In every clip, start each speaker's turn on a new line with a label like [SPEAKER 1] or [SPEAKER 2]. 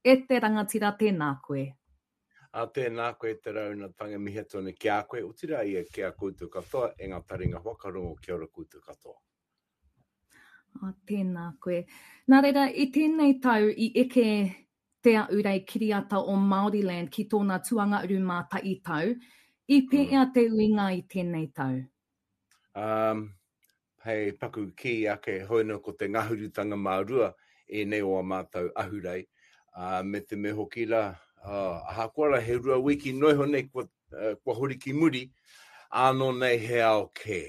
[SPEAKER 1] E te rangatira tēnā koe.
[SPEAKER 2] Ā, tēnā koe te rauna tanga mihi atu ana ki a koe, otirā ia ki a koutou katoa e ngā taringa whakarongo kia ora koutou katoa.
[SPEAKER 1] Ā, tēnā koe. Nā reira, i tēnei tau i eke Te Ahurei Kiriata o Māoriland ki tōna tuangauru māta'i tau, i pēea te uinga i tēnei tau?
[SPEAKER 2] Um, hei paku kī ake, hoi nō ko te ngahurutanga mā rua ēnei o a mātou ahurei, ā, me te mea hoki rā, ā, ahakoa rā he rua wiki noa iho nei kua, kua hori ki muri, ānō nei he ao kē.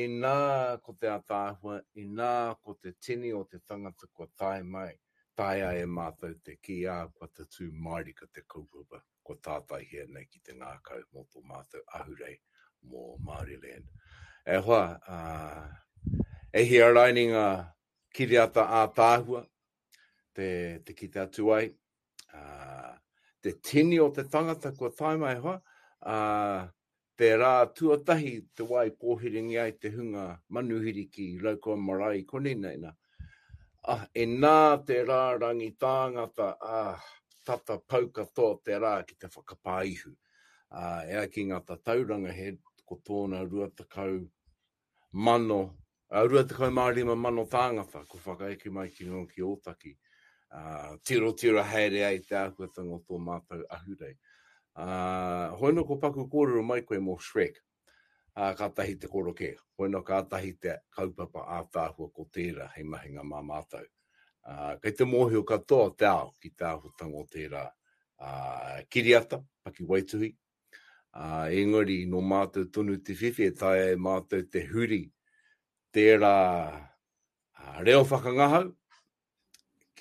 [SPEAKER 2] Inā ko te ataahua, inā ko te tini o te tangata kua tae mai, taea e mātou te kī, ā, kua tatū mārika te kaupapa. kua tātaihia nei ki te ngākau mō tō mātou ahurei mō Māoriland. E hoa, e hia raini ngā kiriata ātaahua te, te kite atu ai, te tini o te tangata kua tae mai hoa, Te rā tuatahi te wā i pōhiringia ai te hunga manuhiri ki Raukawa Marae i konei nei nā. Ah, inā te rārangi tāngata, ah, tata pau katoa te rā ki te whakapā ihu. Ah, e ai ki ngā tatauranga he ko tōna 20 mano, 25 mano tāngata kua whakaeke mai ki runga ki Ōtaki, ā, tirotiro haere ai te āhuatanga o tō mātou ahurei. Ā, hoi nō ko paku kōrero mai koe mō Shrek, ā, kātahi te korokē, hoi nō kātahi te kaupapa ātaahua ko tērā hei mahinga mā mātou. Ā, kei te mōhio katoa te ao ki te āhuatanga o tērā, ā, kiriata, pakiwaituhi, Ā, engari nō mātou tonu te whiwhi e taea e mātou te huri tērā reo whakangahau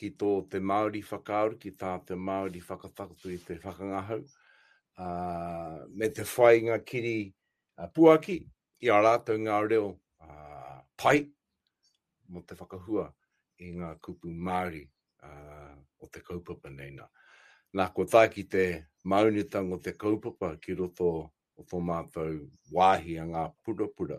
[SPEAKER 2] ki tō te Māori whakaaro, ki tā te Māori whakatakoto i te whakangahau, ā, me te whai ngā kiri puaki i a rātou ngā reo pai mō te whakahua i ngā kupu Māori o te kaupapa nei nā. Nā, kua tae ki te māunitanga o te kaupapa ki roto o tō mātou wāhi a Ngā Purapura.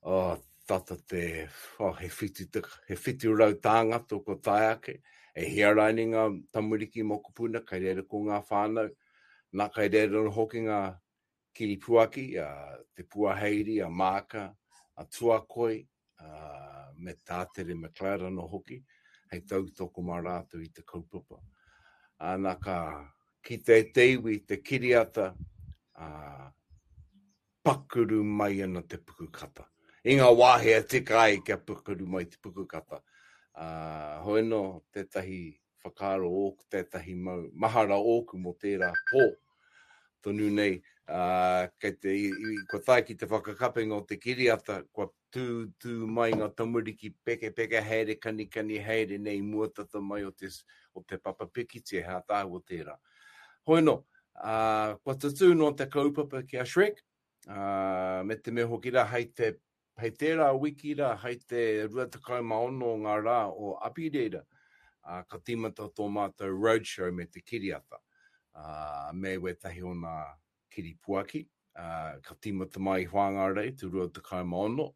[SPEAKER 2] Oh, tata te, oh, he whitu, te, he 700 tāngata kua tae ake, e hia raini ngā tamariki mokopuna, kei reira ko ngā whānau, nā kei reira hoki ngā kiripuaki, a Te Puaheiri, a Maaka, a Tuakoi, a, me Tātere McLeod anō hoki, hei tautoko mā rātou i te kaupapa. Ana ka kite te iwi, te kiriata, a, pakuru mai ana te pukukata. I ngā wāhi e tika ai kia pukuru mai te pukukata. A, hoi nō tētahi whakaaro ōku, tētahi mau mahara ōku mō tērā pō tonu nei, ā, kei te, i, i, kua tae ki te whakakapenga o te kiriata, kua tū, tū mai ngā tamariki pekepeke haere, kanikani haere nei i mua tata mai o te, o te papa pikitia, he ātaahua tērā. Hoi nō, ā, kua tutū noa te kaupapa ki a Shrek, ā, me te mea hoki rā, hei te Hei tērā wiki rā, hei te 26 o ngā rā o Apireira, ka tīmata tō mātou roadshow me te kiriata, me wētahi o nā kiripuaki. Ka tīmata mai i Whāngārei te 26,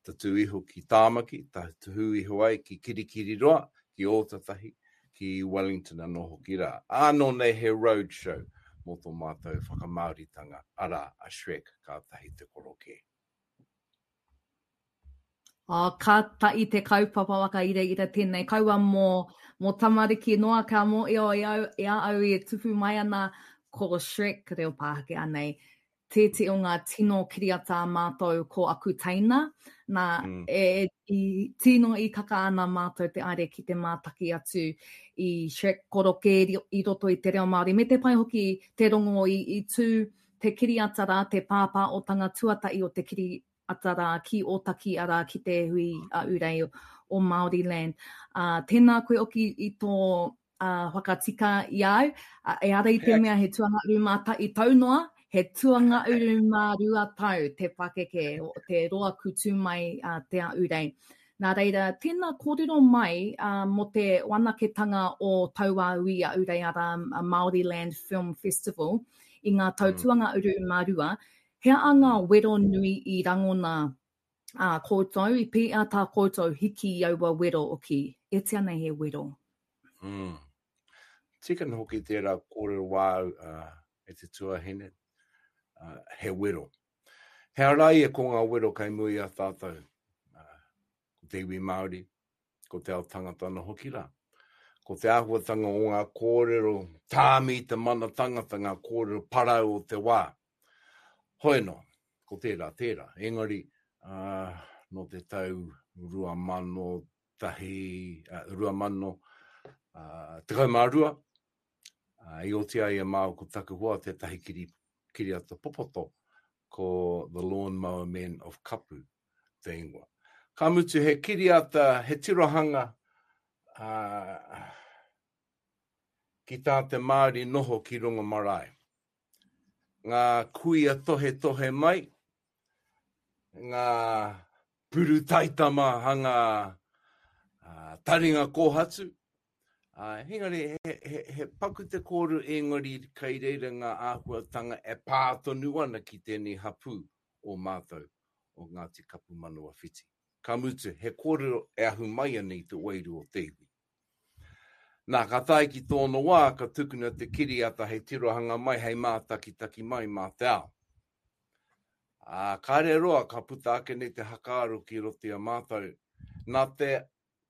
[SPEAKER 2] tatū iho ki Tāmaki, tatū iho ai ki Kirikiriroa, ki Ōtatahi, ki Wellington anō hoki rā. Ānō nei he roadshow mō tō mātou whakamāoritanga, arā, a Shrek kātahi te korokē.
[SPEAKER 1] Oh, ka ta'i te kaupapa whakairaira tēnei. Kaua mō, mō tamariki noa ka mōio i au, i a au e tupu mai ana ko Shrek reo Pākehā nei. Tētehi o ngā tino kiriata a mātou ko aku teina. Nā, mm. e, i, tino i kaka ana mātou te aere ki te mātaki atu i Shrek korokē i roto i te reo Māori. Me te pai hoki te rongo i, i tū te kiriata rā, te pāpāotanga tuatahi o te kiriata rā ki Ōtaki, arā, ki te hui a Urei o Māoriland. Ā, tēnā koe oki i tō ā, whakatika i a au, ā, ehara i te mea he tuangauru mā tahi tau noa, he tuangauru mā rua tau te pakeke, te roa kutū mai a Te Ahurei. Nā reira, tēnā kōrero mai uh, mō te wanaketanga o taua hui a Urei arā Māoriland Film Festival i ngā tau mm. tuanga uru mā rua, he aha ngā wero nui i rangona a koutou, i pēa tā koutou hiki i aua wero oki? E tia nei he wero.
[SPEAKER 2] Mm. Tika ana hoki tērā kōrero wāu e te tuahine, he wero. He ara ia ko ngā wero kei mua i a tātou, ko te iwi Māori, ko te ao tangata anō hoki rā. Ko te āhuatanga o ngā kōrero tāmi i te mana tangata, ngā kōrero parau o te wā. Hoi anō, ko tērā, tērā. Engari, nō te tau 2001, 2012, i oti ai e māua ko taku hoa tētahi kiri, kiriata popoto, ko The Lawnmower Men of Kapu te ingoa. Ka mutu he kiriata, he tirohanga uh, ki tā te Māori noho ki runga marae. Ngā kuia tohetohe mai, ngā puru taitama hanga uh, taringa kōhatu, Āe, engari he, he, he paku te kōrero engari kei reira ngā āhuatanga e pā tonu ana ki tēnei hapū o mātou, o Ngāti Kapu Manawa Whiti. Ka mutu, he kōrero e ahu mai ana i te wairua o te iwi. Nā, ka tae ki tōna wā, ka tukuna te kiriata hei tirohanga mai, hei mātakitaki mai mā te ao. Ā, kāre roa ka puta ake nei te hakaaro ki roto i a mātou, nā te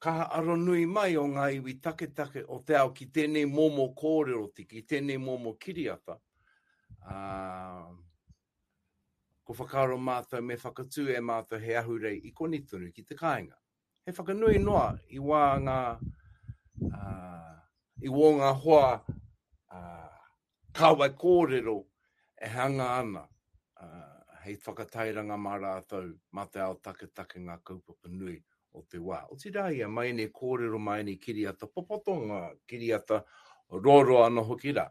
[SPEAKER 2] kaha aronui mai o ngā iwi taketake o te ao ki tēnei momo kōrero, ki tēnei momo kiriata, ā, ko whakaaro mātou me whakatū e mātou he ahurei i konei tonu ki te kāinga. He whakanui noa i wā ngā, ā, i wō ngā hoa, ā, kāwai kōrero e hanga ana hei whakatairanga mā rātou, mā te ao taketake ngā kaupapa nui o te wā. Otirā ia, mā ēnei kōrero, mā ēnei kiriata popoto, ngā kiriata roaroa anō hoki rā.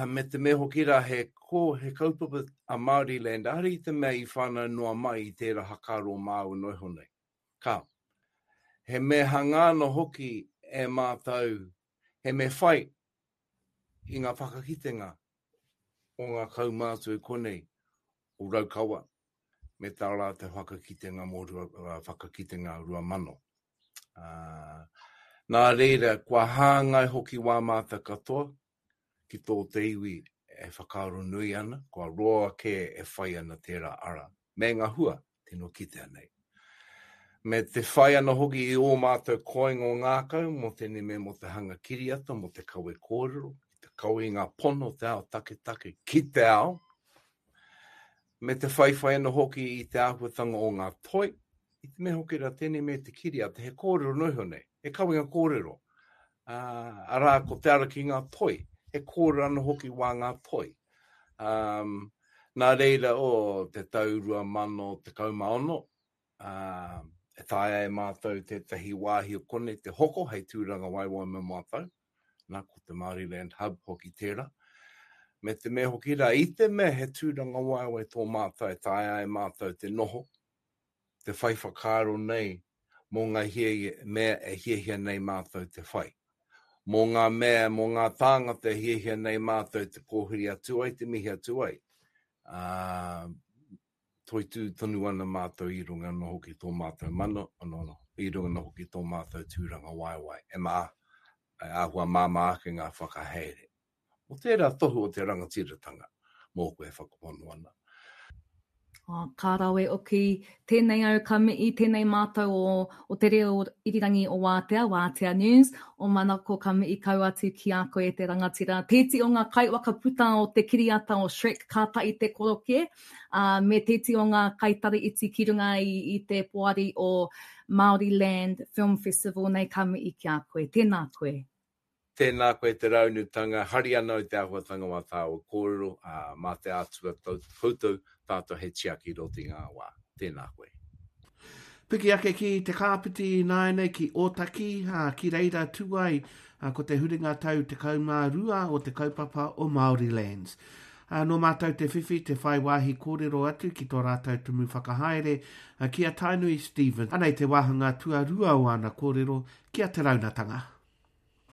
[SPEAKER 2] Me te mea hoki rā, he, ko, he kaupapa a Māoriland, ehara i te mea i whānau noa mai i tērā hakaaro māua noa iho nei. Ka. He mea hanga anō hoki e mātou, he mea whai i ngā whakakitenga o ngā kaumātua i konei o Raukawa me tā rātou whakakitenga mō rua, whakakitenga 2000. Uh, nā reira, kua hāngai hoki wā mātou katoa ki tō te iwi e whakaaro nui ana, kua roa kē e whai ana tērā ara, me ngā hua tino kitea nei. Me te whai ana hoki i ō mātou koingo ngākau mō tēnei mea mō te hanga kiriata, mō te kawe kōrero, ki te kawe i ngā pono o te ao taketake ki te ao, me te whaiwhai ana hoki i te āhuatanga o ngā toi, i te mea hoki rā tēnei mea te kiriata, he kōrero noa iho nei, he kawenga kōrero, ā, arā ko te ara ki ngā toi, he kōrero anō hoki wā ngā toi. Um, nā reira, o te tau 2016, ā, e taea e mātou tētahi wāhi o konei te hoko hei tūrangawaewae mō mātou, nā, ko te Māoriland Hub hoki tērā. Me te mea hoki rā, i te mea he tūrangawaewae tō mātou, e taea e mātou te noho, te whai whakaaro nei mō ngā hiahia, mea e hiahia nei mātou te whai. Mō ngā mea, mō ngā tāngata e hiahia nei mātou te kōwhiri atu ai, te mihi atu ai. Ā, toitū tonu ana mātou i runga anō hoki tō mātou mana, anō, i runga anō hoki tō mātou tūrangawaewae. E mā, e āhua māmā ake ngā whakahaere. Ko tērā tohu o te rangatiratanga mōku e whakapono ana.
[SPEAKER 1] Oh, ka rawe oki. Tēnei au ka mihi, tēnei mātou o, o te reo irirangi o Wātea, Wātea News, o Manako ka mihi kau atu ki a koe e te rangatira. Tēti o ngā kaiwhakaputa o te kiriata o Shrek kātahi te koroke, ā, me tēti o ngā kaitari iti ki runga i, i te poari o Māori Land Film Festival nei ka mihi ki a koe. Tēnā koe.
[SPEAKER 2] Tēnā koe te raunutanga, hari ana au te āhuatanga wā tāua kōrero, ā, mā te Atua koutou tātou hei tiaki i roto i ngā wā. Tēnā koe.
[SPEAKER 3] Piki ake ki Te Kāpiti ināianei ki Ōtaki, ā, ki reira tū ai ko te huringa tau 12 o te kaupapa o Māori Lands. Ā, nō mātou te whiwhi te whai wāhi kōrero atu ki tō rātou tumu whakahaere, ki a Tainui Stevens. Anei te wāhanga tuarua o āna kōrero ki a Te Raunatanga.